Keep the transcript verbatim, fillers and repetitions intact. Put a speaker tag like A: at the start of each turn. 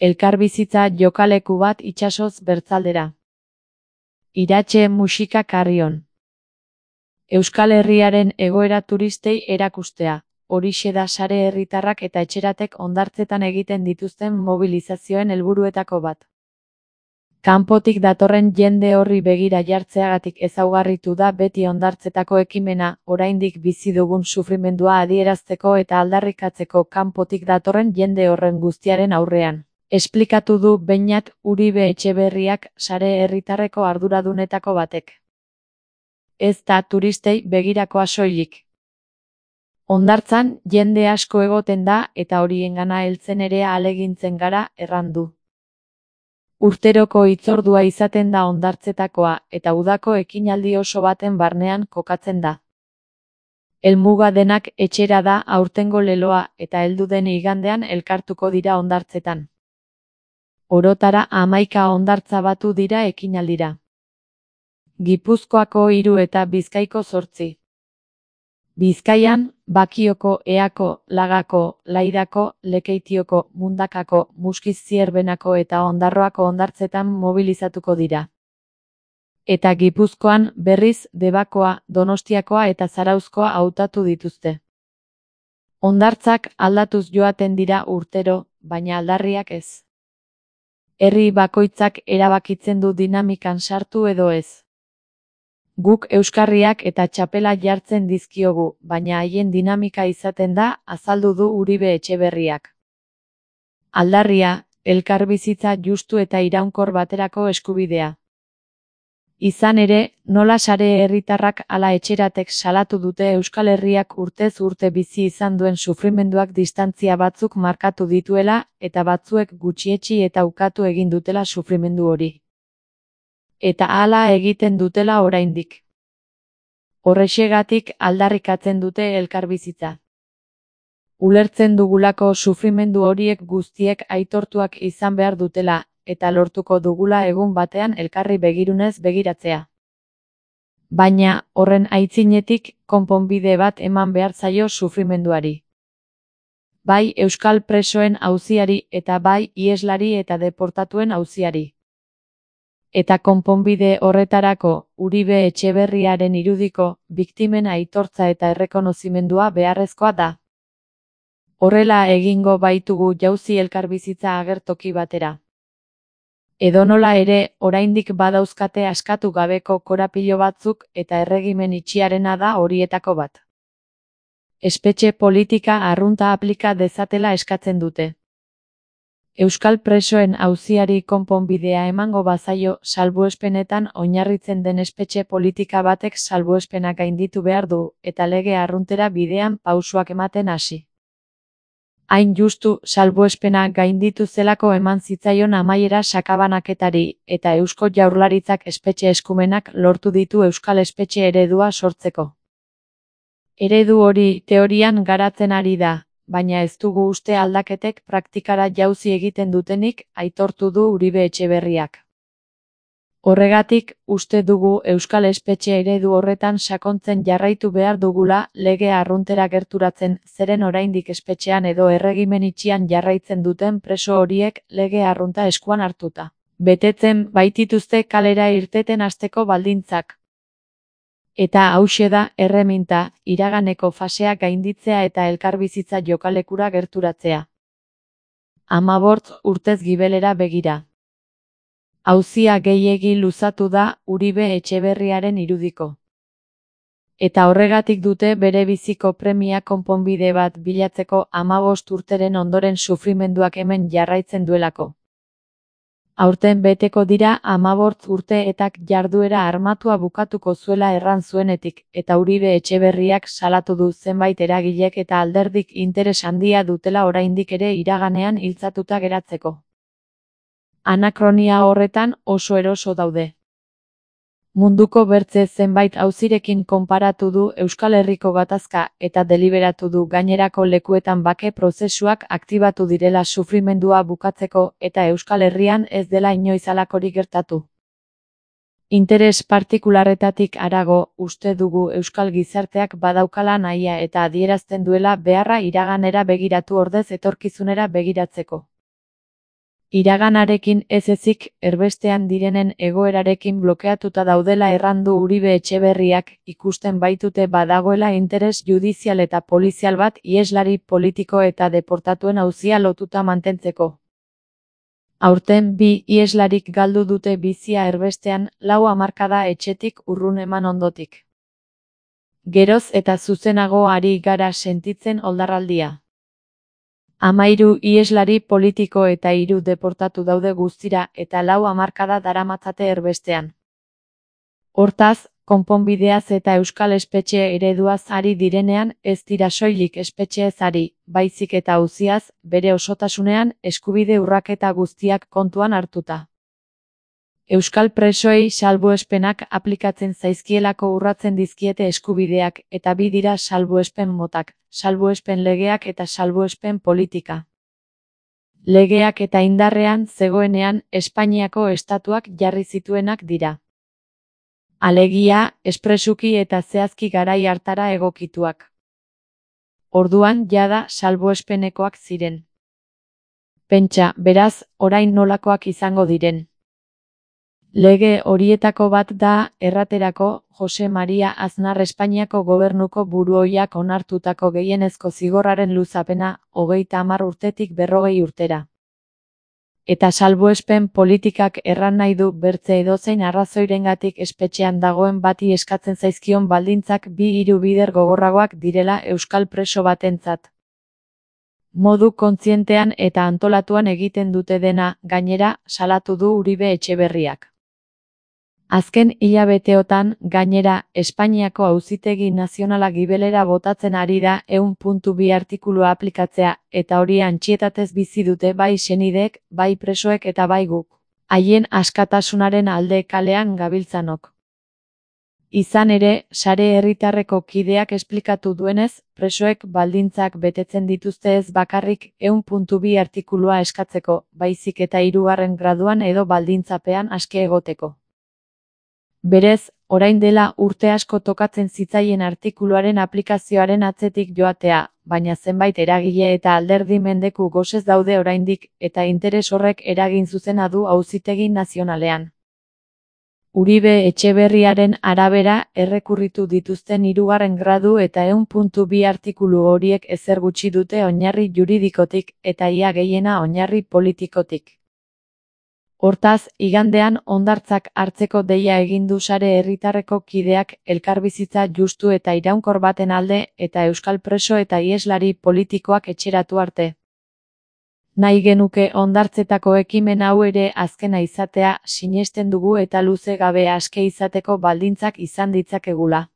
A: Elkarbizitza jokaleku bat itsasoz bertzaldera. Iratxe musika Carrion. Euskal Herriaren egoera turistei erakustea. Horixe da sare herritarrak eta etxeratek hondartzetan egiten dituzten mobilizazioen helburuetako bat. Kanpotik datorren jende horri begira jartzeagatik ezaugarritu da beti hondartzetako ekimena, oraindik bizi dugun sufrimendua adierazteko eta aldarrikatzeko kanpotik datorren jende horren guztiaren aurrean. Esplikatu du Beñat Uribe Etxeberriak sare herritarreko arduradunetako batek. Ez da turistei begirakoa soilik. Hondartzan jende asko egoten da eta horiengana heltzen ere ahalegintzen gara, errandu. Urteroko hitzordua izaten da hondartzetakoa eta udako ekinaldi oso baten barnean kokatzen da. Helmuga denak etxera da aurtengo leloa eta heldu den igandean elkartuko dira hondartzetan. Orotara hamaika hondartza batu dira ekinaldira. Gipuzkoako hiru eta Bizkaiko zortzi. Bizkaian, Bakioko, Eako, Lagako, Laidako, Lekeitioko, Mundakako, Muskiz-Zierbenako eta Ondarroako hondartzetan mobilizatuko dira. Eta Gipuzkoan, berriz, Debakoa, Donostiakoa eta Zarauzkoa hautatu dituzte. Hondartzak aldatuz joaten dira urtero, baina aldarriak ez. Herri bakoitzak erabakitzen du dinamikan sartu edo ez. Guk euskarriak eta txapela jartzen dizkiogu, baina haien dinamika izaten da, azaldu du Uribe Etxeberriak. Aldarria, elkarbizitza justu eta iraunkor baterako eskubidea. Izan ere, nola sare herritarrak ala etxeratek salatu dute Euskal Herriak urtez urte bizi izan duen sufrimenduak distantzia batzuk markatu dituela eta batzuek gutxietsi eta ukatu egin dutela sufrimendu hori. Eta hala egiten dutela oraindik. Horrexegatik aldarrikatzen dute elkarbizitza. Ulertzen dugulako sufrimendu horiek guztiek aitortuak izan behar dutela, eta lortuko dugula egun batean elkarri begirunez begiratzea. Baina, horren aitzinetik, konponbide bat eman behar zaio sufrimenduari. Bai euskal presoen auziari eta bai iheslari eta deportatuen auziari. Eta konponbide horretarako, Uribe Etxeberriaren irudiko, biktimen aitortza eta errekonozimendua beharrezkoa da. Horrela egingo baitugu jauzi elkarbizitza agertoki batera. Edonola ere, oraindik badauzkate askatu gabeko korapilo batzuk eta erregimen itxiarena da horietako bat. Espetxe politika arrunta aplika dezatela eskatzen dute. Euskal presoen auziari konponbidea emango bazaio salbuespenetan oinarritzen den espetxe politika batek salbuespenak gainditu behar du eta lege arruntera bidean pausoak ematen hasi. Hain justu salbuespena gainditu zelako eman zitzaion amaiera sakabanaketari eta Eusko Jaurlaritzak espetxe eskumenak lortu ditu Euskal espetxe eredua sortzeko. Eredu hori teorian garatzen ari da, baina ez dugu uste aldaketek praktikara jauzi egiten dutenik, aitortu du Uribe Etxeberriak. Horregatik, uste dugu Euskal espetxe eredu horretan sakontzen jarraitu behar dugula lege arruntera gerturatzen, zeren oraindik espetxean edo erregimen itxian jarraitzen duten preso horiek lege arrunta eskuan hartuta. Betetzen baitituzte kalera irteten hasteko baldintzak. Eta hauxe da erreminta, iraganeko fasea gainditzea eta elkarbizitza jokalekura gerturatzea. Hamabort urtez gibelera begira. Auzia gehiegi luzatu da Uribe Etxeberriaren irudiko. Eta horregatik dute bere biziko premia konponbide bat bilatzeko hamabost urteren ondoren sufrimenduak hemen jarraitzen duelako. Aurten beteko dira hamabort urte etak jarduera armatua bukatuko zuela erran zuenetik, eta Uribe Etxeberriak salatu du zenbait eragilek eta alderdik interes handia dutela oraindik ere iraganean hiltzatuta geratzeko. Anakronia horretan oso eroso daude. Munduko bertze zenbait auzirekin konparatu du Euskal Herriko gatazka eta deliberatu du gainerako lekuetan bake prozesuak aktibatu direla sufrimendua bukatzeko eta Euskal Herrian ez dela inoiz halakorik gertatu. Interes partikularretatik harago, uste dugu euskal gizarteak badaukala nahia eta adierazten duela beharra iraganera begiratu ordez etorkizunera begiratzeko. Iraganarekin ez ezik, erbestean direnen egoerarekin blokeatuta daudela errandu Uribe Etxeberriak, ikusten baitute badagoela interes judizial eta polizial bat iheslari politiko eta deportatuen auzia lotuta mantentzeko. Aurten bi iheslarik galdu dute bizia erbestean, lau hamarkada etxetik urrun eman ondotik. Geroz eta zuzenago ari gara sentitzen oldarraldia. Hamairu iheslari politiko eta hiru deportatu daude guztira eta lau hamarkada daramatzate erbestean. Hortaz, konponbideaz eta euskal espetxe ereduaz ari direnean ez dira soilik espetxeez ari, baizik eta auziaz, bere osotasunean, eskubide urraketa guztiak kontuan hartuta. Euskal presoei salbuespenak aplikatzen zaizkielako urratzen dizkiete eskubideak eta bi dira salbuespen motak, salbuespen legeak eta salbuespen politika. Legeak eta indarrean zegoenean Espainiako estatuak jarri zituenak dira. Alegia, espresuki eta zehazki garai hartara egokituak. Orduan jada salbuespenekoak ziren. Pentsa, beraz, orain nolakoak izango diren. Lege horietako bat da, erraterako, Jose Maria Aznar Espainiako gobernuko buruoiak onartutako gehienezko zigorraren luzapena, hogeita hamar urtetik berrogei urtera. Eta salbuespen politikak erran nahi du bertze edozein arrazoirengatik espetxean dagoen bati eskatzen zaizkion baldintzak bi hiru bider gogorragoak direla euskal preso batentzat. Modu kontzientean eta antolatuan egiten dute dena, gainera, salatu du Uribe Etxeberriak. Azken hilabeteotan, gainera, Espainiako Auzitegi Nazionala gibelera botatzen ari da ehun puntu bi artikulua aplikatzea, eta hori antxietatez bizi dute bai senideek, bai presoek eta bai guk. Haien askatasunaren alde kalean gabiltzanok. Izan ere, sare herritarreko kideak esplikatu duenez, presoek baldintzak betetzen dituzte ez bakarrik ehun puntu bi artikulua eskatzeko, baizik eta hirugarren graduan edo baldintzapean aske egoteko. Berez, orain dela urte asko tokatzen zitzaien artikuluaren aplikazioaren atzetik joatea, baina zenbait eragile eta alderdi mendeku gosez daude oraindik, eta interes horrek eragin zuzena du Auzitegi Nazionalean. Uribe Etxeberriaren arabera, errekurritu dituzten hirugarren gradu eta ehun puntu bi artikulu horiek ezer gutxi dute oinarri juridikotik, eta ia gehiena oinarri politikotik. Hortaz, igandean hondartzak hartzeko deia egin du sare herritarreko kideak elkarbizitza justu eta iraunkor baten alde eta euskal preso eta iheslari politikoak etxeratu arte. Nahi genuke hondartzetako ekimen hau ere azkena izatea sinesten dugu eta luze gabe aske izateko baldintzak izan ditzakegula.